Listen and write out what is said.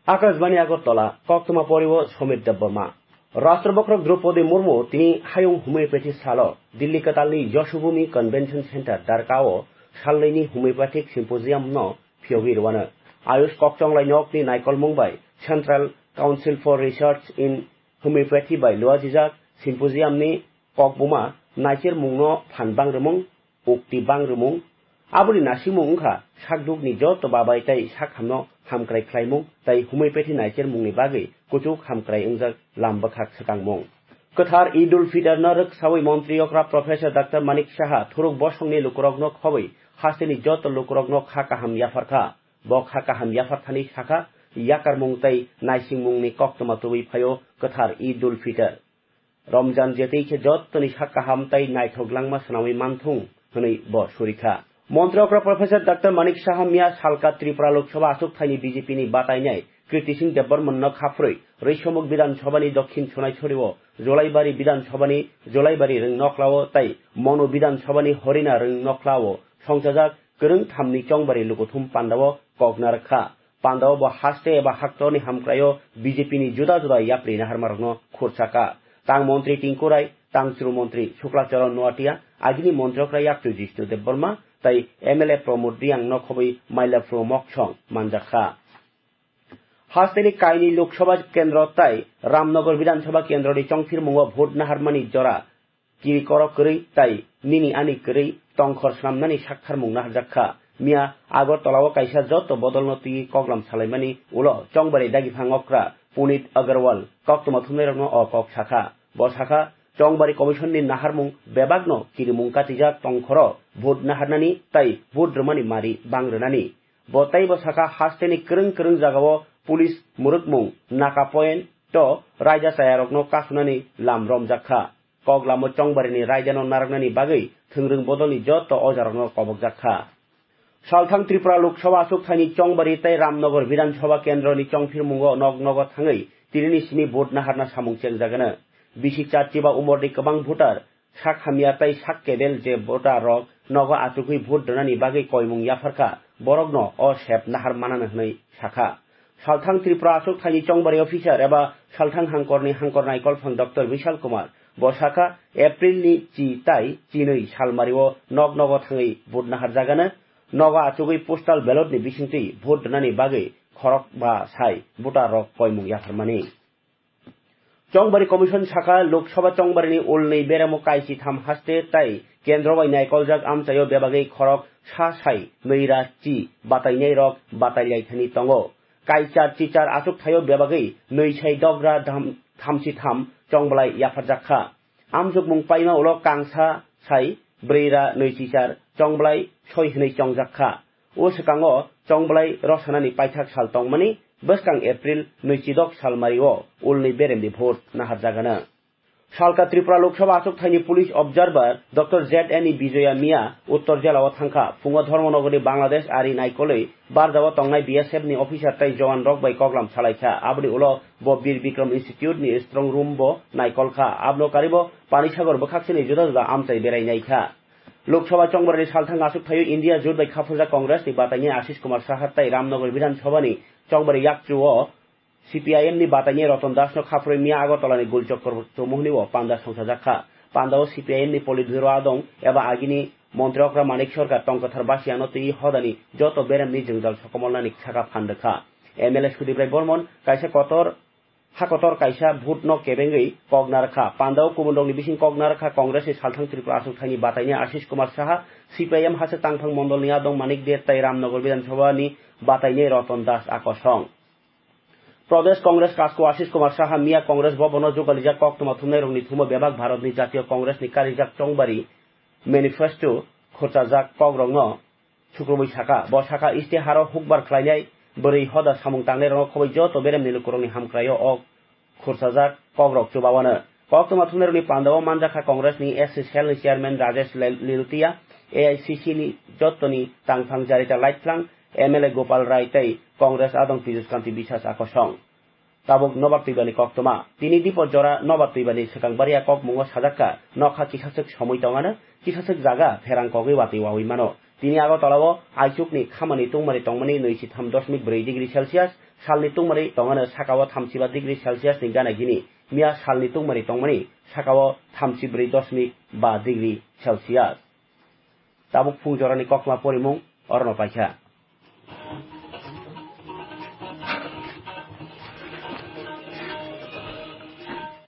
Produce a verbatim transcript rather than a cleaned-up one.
Akashbani Agartala, koktwma poriwo Somir Debbarma. Rashtrabhakrok Draupadi Murmu tini hayung homeopathy salo Delhi kwtalni Yashobhumi Convention Center Dwarkao salnwini homeopathic symposium no phiyogwi rwano. Ayush kokchonglai nokni naikolmung bai Central Council for Research in Homeopathy bai luajijak symposium ni kokbuma naichermung no phan bang rwmung, ukti bang rwmung, aboni nasimung wngkha sakduk ni joto babai tei sakhamno hamkrai khlaimung tei homeopathy naichermung ni bagwi kuchuk hamkrai wngjak lam bwkhak swkangmung. Kwthar Eid ul Fitr no rwksawi montri okra Professor Doctor Manik Saha thuruk bosongni lukurokno khobwi hasteni joto lukurokno kha kaham yapharkha. Bo kha kaham yapharthani sakha yakarmung tei naisingmungni koktwma tubui phaio kwthar Eid ul Fitr. Romjan jetwi khe jottoni sak kaham tei naithok langma swnamwi manthung hwnwi bo surikha. Montri okra Professor Doctor Manik Saha miya salka Tripura Lok Sabha achukthani B J P ni batainai Kirti Singh Debbarman no khaphurwi Rwisomuk Bidhan Sabha ni Dokhin Sonaisori o Jolaibari Bidhan Sabha ni Jolaibari Rwng Noklao tei Monu Bidhan Sabha ni Horina Rwng Noklao songchajak kwrwng thamni chongbari lukuthum pandao kok narwkha. Pandao bo haste eba haktorni hamkraio B J P ni juda juda yapri naharmarokno khursa kha. Tang montri Tinku Rai, tang chwru montri Shukla Charan Noatia, agini montrokra yakchu Jishnu Debbarma tei M L A Pramod Riang no khobwi Mailapur Moksong manjakha. Hasteni kaini Lok Sabha kendro tei Ramnagar Bidhan Sabha kendroni chongphirmungo vote naharmani jora kiri korok kwrwi tei nini ani kwrwi tongkhor swnamnani saktharmung naharjak kha. Miya Agartala o kaisa joto bodolno twiwi koklam salaimani ulo chongbari dagiphang okra Punit Agarwal koktwma thumnairokno o kok sakha. Bo sakha, chongbari commission ni naharmung bebakno kirimung katijak tongkhoro vote naharnani tei vote rwmani mari bang rwnani. Bo teibo sakha, hasteni kwrwng kwrwng jagao police mwrwkmung naka point o raida chayarokno kasunani lam romjak kha. Koklamo chongbarini raidano narwknani bagwi thwngrwng bodolni joto ojarokno kobokjak kha. Salthang Tripura Lok Sabha achukthani chongbari tei Ramnagar Bidhan Sabha kendroni chongphirmungo nok nogo thangwi tinini simi vote naharna samung chengjagano. Bisi charchi ba umorni kwbang voter sak hamya tei sak kebel je voter rok nogo achugwi vote rwnani bagwi koimung yapharkha, borokno o sep nahar manano hwnwi sakha. Salthang Tripura achukthani chongbari officer eba Salthang hangkorni hangkor naikolphang Doctor Vishal Kumar bo sakha, April ni chi tai chinwi salmario nok nogo thangwi vote naharjagano, nogo achugwi postal ballot ni bisingtwi vote rwnani bagwi khorok ba sai voter rok koimung yapharmani. Chongbari Commission sakha, Lok Sabha chongbarini ulni beremo kaisi tham haste tei kendro bai naikoljak amchaio bebagwi khorok sa sai nwi ra chi batainairok batailai thani tongo. Kaichar chichar achuk thaio bebagwi nwi sai dogra dham-, thamchi tham chongbolai yapharjak kha. Amjokmung paima ulo kangsa sai bwrwi ra nwi chichar chongbolai soi hwnwi chongjak kha. O swkango chongbolai rwsanani paithak sal tongmani bwskang April nwi chidok salmario ulni beremni vote naharjagano. Salka Tripura Lok Sabha achuk thaini police observer Doctor Z N E Bijoya miya Uttor Jela o thangkha. Phungo Dharmanagar ni Bangladesh ari naikolwi barjao tongnai B S F ni officer tei jowan rok bai koklam salaikha. Aboni ulo bo Bir Bikram Institute ni strong room bo naikolkha. Abno karibo Panisagar bwkhaksini juda juda amchai berai naikha. Lok Sabha chongbarani salthang achuk thaio India jut bai khaphurjak Congress ni bataini Ashish Kumar Saha tei Ramnagar Bidhan Sabha ni chongbari yakchu o C P I M ni bataini Ratan Das no khaphurwi miya Agartala ni Gul Chokor Chowmuhani o panda songchajak kha. Panda o C P I M ni Politburo adong eba agini montri okra Manik Sarkar tongkwthar basiya no twi hodani joto berem ni jwngjal sokomolnani saka phan rwkha. M L A Sudip Rai Bormon kaisa kotor ha kotor kaisa vote no kebengwi kok narwkha. Pandao kubun rokni bising kok narwkha Congress ni salthang Tripura achuk thaini bataini Ashish Kumar Saha, C P I M Hasik Tangphang Mondol ni adong Manik De tei Ramnagar Bidhan Sabha ni bataini Ratan Das akosong. Pradesh Congress kasko Ashish Kumar Saha miya Congress Bhavan o jugalijak koktwma thumnai rokni thumo bebak Bharat ni Jatiyo Congress ni karijak chongbari manifesto khurchajak kok rokno sukrubwi sakha. Bo sakha, Istiharo hukbar khlainai bwrwi hoda samung tangnai rokno khobwi joto beremni lukurokni hamkraio o khurchajak kokrok chubawano. Koktwma thumnairokni pandao manjakha Congress ni S C cell ni chairman Rajesh Lil-, Lilutia, A I C C ni jottoni tangphang Jarita Laithlang, M L A Gopal Rai tei Congress adong Piyush Kanti Biswas akosong. Tabuk nobar twibani koktwma. Tini dipor jora nobar twibani swkang baria kokmungo sajakka, nokha kisaswk somwi tongano, kisaswk jaga pherang kogwi watwi wawi mano. Tini Agartala o aichukni khamani tungmari tongmani nwi si tham dosmik brwi degree Celsius, salni tungmari tongmani sakao thamsiba degree Celsius ni gana gini, miya salni tungmari tongmani sakao thamsibrwi dosmik ba degree Celsius. Tabuk phung jorani kokma porimung orono paikha.